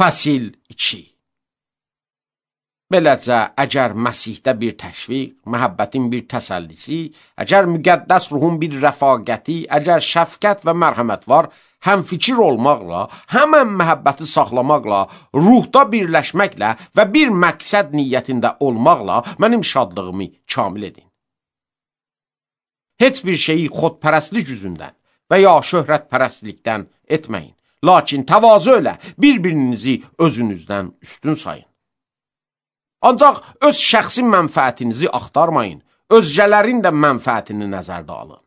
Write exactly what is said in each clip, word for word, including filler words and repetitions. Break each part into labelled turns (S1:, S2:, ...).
S1: Fəsil iki. Beləcə, əgər Məsihdə bir təşviq, məhəbbətin bir təsəllisi, əgər müqəddəs ruhun bir rəfaqəti, əgər şəfqət və mərhəmət var, həm fikir olmaqla, həmən məhəbbəti saxlamaqla, ruhda birləşməklə və bir məqsəd niyyətində olmaqla mənim şadlığımı kamil edin. Heç bir şeyi xodpərəstlik üzündən və ya şöhrətpərəstlikdən etməyin. Lakin təvazö ilə bir-birinizi özünüzdən üstün sayın. Ancaq öz şəxsi mənfəətinizi axtarmayın, özgələrin də mənfəətini nəzərdə alın.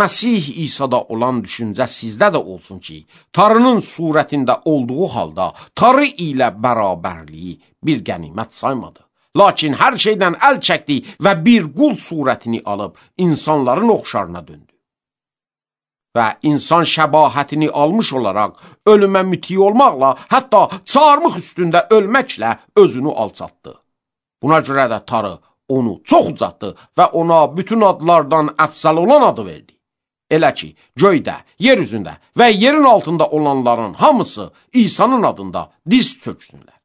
S1: Məsih İsa'da olan düşüncə sizdə də olsun ki, Tanrının surətində olduğu halda Tanrı ilə bərabərliyi bir qənimət saymadı. Lakin hər şeydən əl çəkdi və bir qul surətini alıb insanların oxşarına döndü. Və insan şəbahətini almış olaraq ölümə müti olmaqla, hətta çarmıx üstündə ölməklə özünü alçatdı. Buna görə də Tanrı onu çox ucaltdı və ona bütün adlardan əfsəl olan adı verdi. Elə ki, göydə, yer üzündə və yerin altında olanların hamısı İsa'nın adında diz çöksünlər.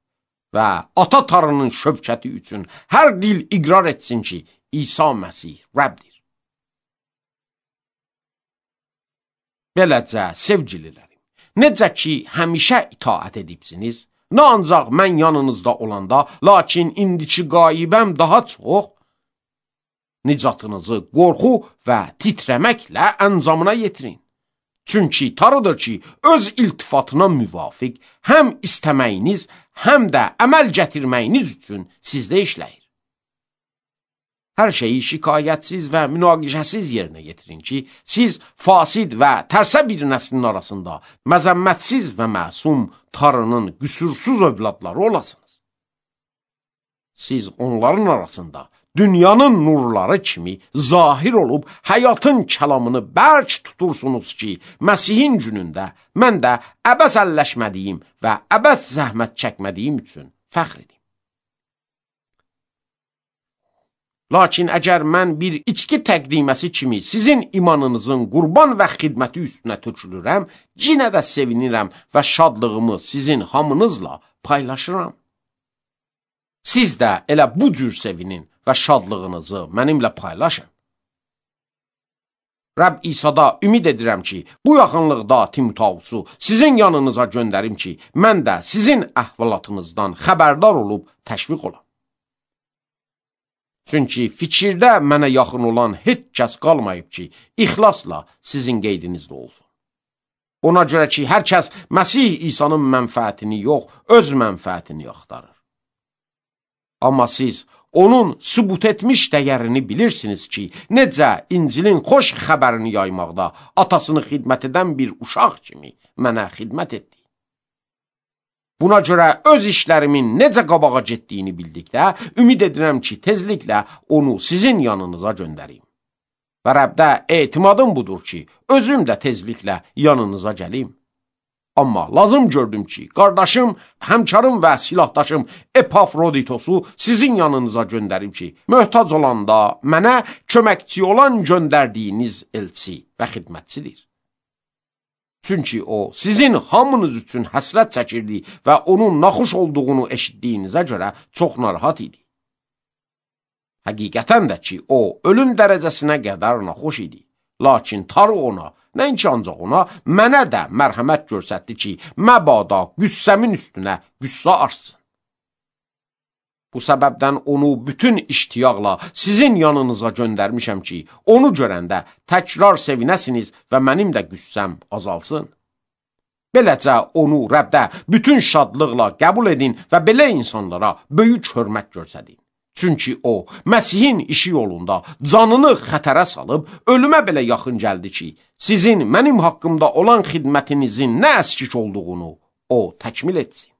S1: Və Ata Tanrının şövkəti üçün hər dil iqrar etsin ki, İsa Məsih Rəbdir. Beləcə, sevgililərim, necə ki, həmişə itaət edibsiniz, nə ancaq mən yanınızda olanda, lakin indiki qaibəm daha çox, nicatınızı qorxu və titrəməklə əncamına yetirin. Çünki Tanrıdır ki, öz iltifatına müvafiq həm istəməyiniz, həm də əməl gətirməyiniz üçün sizdə işləyir. Hər şeyi şikayətsiz və münaqişəsiz yerinə yetirin ki, siz fasid və tərsə bir nəslin arasında məzəmmətsiz və məsum Tanrının qüsursuz övladları olasınız. Siz onların arasında dünyanın nurları kimi zahir olub həyatın kəlamını bərk tutursunuz ki, Məsihin günündə mən də əbəs əlləşmədiyim və əbəs zəhmət çəkmədiyim üçün fəxr edim. Lakin əgər mən bir içki təqdiməsi kimi sizin imanınızın qurban və xidməti üstünə tökülürəm, yenə də sevinirəm və şadlığımı sizin hamınızla paylaşıram. Siz də elə bu cür sevinin və şadlığınızı mənimlə paylaşın. Rəbb İsa'da ümid edirəm ki, bu yaxınlıqda Timotausu sizin yanınıza göndərim ki, mən də sizin əhvalatınızdan xəbərdar olub təşviq olam. Çünki fikirdə mənə yaxın olan heç kəs qalmayıb ki, ixlasla sizin qeydinizdə olsun. Ona görə ki, hər kəs Məsih İsa'nın mənfəətini yox, öz mənfəətini axtarır. Amma siz onun sübut etmiş dəyərini bilirsiniz ki, necə İncilin xoş xəbərini yaymaqda atasını xidmət edən bir uşaq kimi mənə xidmət etdi. Buna görə öz işlərimin necə qabağa getdiyini bildikdə, ümid edirəm ki, tezliklə onu sizin yanınıza göndərim. Və Rəbdə etimadım budur ki, özüm də tezliklə yanınıza gəlim. Amma lazım gördüm ki, qardaşım, həmkarım və silahdaşım Epafroditosu sizin yanınıza göndərim ki, möhtac olanda mənə köməkçi olan göndərdiyiniz elçi və xidmətçidir. Çünki o, sizin hamınız üçün həsrət çəkirdi və onun naxuş olduğunu eşitdiyinizə görə çox narahat idi. Həqiqətən də ki, o, ölüm dərəcəsinə qədər naxuş idi. Lakin Tanrı ona, nəinki ancaq ona, mənə də mərhəmət göstərdi ki, məbada qüssəmin üstünə qüssə artsın. Bu səbəbdən onu bütün iştiyaqla sizin yanınıza göndərmişəm ki, onu görəndə təkrar sevinəsiniz və mənim də qüssəm azalsın. Beləcə onu Rəbdə bütün şadlıqla qəbul edin və belə insanlara böyük hörmət göstərin. Çünki o, Məsihin işi yolunda canını xətərə salıb, ölümə belə yaxın gəldi ki, sizin mənim haqqımda olan xidmətinizin nə əskik olduğunu o təkmil etsin.